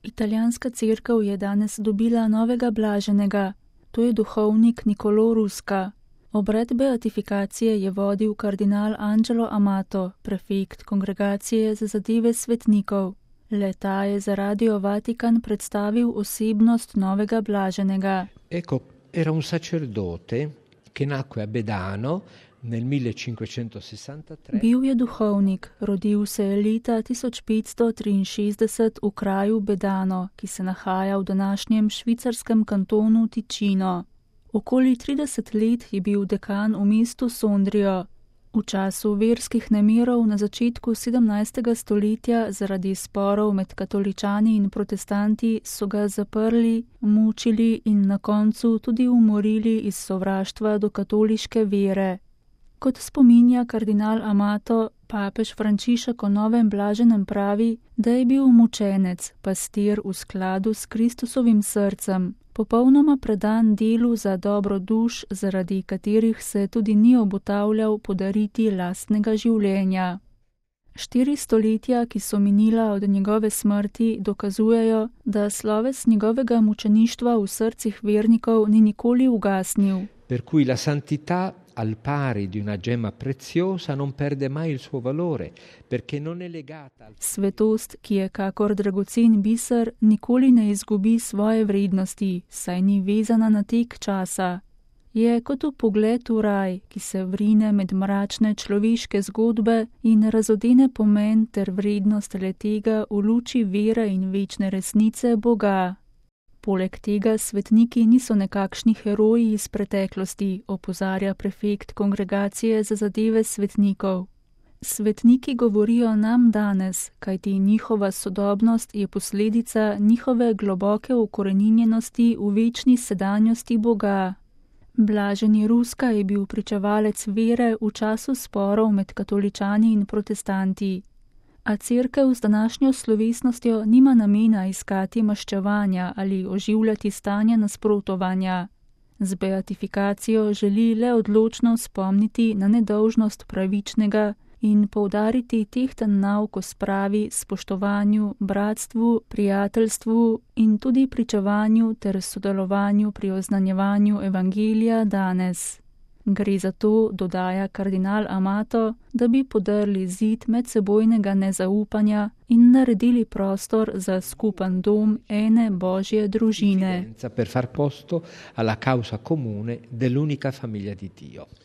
Italijanska cerkev je danes dobila novega blaženega, to je duhovnik Niccolò Rusca. Obred beatifikacije je vodil kardinal Angelo Amato, prefekt Kongregacije za zadeve svetnikov. Le-ta je za Radio Vatikan predstavil osebnost novega blaženega. Ecco, era un sacerdote che nacque a Bedano nel 1563. Bil je duhovnik, rodil se je leta 1563 v kraju Bedano, ki se nahaja v današnjem švicarskem kantonu Ticino. Okoli 30 let je bil dekan v mestu Sondrio. V času verskih nemirov na začetku 17. stoletja zaradi sporov med katoličani in protestanti so ga zaprli, mučili in na koncu tudi umorili iz sovraštva do katoliške vere. Kot spominja kardinal Amato, papež Frančišek o novem blaženem pravi, da je bil mučenec, pastir v skladu s Kristusovim srcem, popolnoma predan delu za dobro duš, zaradi katerih se tudi ni obotavljal podariti lastnega življenja. 4 stoletja, ki so minila od njegove smrti, dokazujejo, da sloves njegovega mučeništva v srcih vernikov ni nikoli ugasnil. Per cui la santità al pari di una gemma preziosa non perde mai il suo valore, perché non è legata al... Svetost, ki je kakor dragocen biser, nikoli ne izgubi svoje vrednosti, saj ni vezana na tek časa. Je kot pogled v raj, ki se vrine med mračne človeške zgodbe in razodene pomen ter vrednost le-tega v luči vere in večne resnice Boga. Poleg tega svetniki niso nekakšni heroji iz preteklosti, opozarja prefekt Kongregacije za zadeve svetnikov. Svetniki govorijo nam danes, kajti njihova sodobnost je posledica njihove globoke ukoreninjenosti v večni sedanjosti Boga. Blaženi Rusca je bil pričevalec vere v času sporov med katoličani in protestanti. A cerkev z današnjo slovesnostjo nima namena iskati maščevanja ali oživljati stanja nasprotovanja. Z beatifikacijo želi le odločno spomniti na nedolžnost pravičnega in poudariti tehten nauk o spravi, spoštovanju, bratstvu, prijateljstvu in tudi pričevanju ter sodelovanju pri oznanjevanju evangelija danes. Gre za to, dodaja kardinal Amato, da bi podrli zid medsebojnega nezaupanja in naredili prostor za skupen dom ene Božje družine. Per far posto alla causa comune dell'unica famiglia di Dio.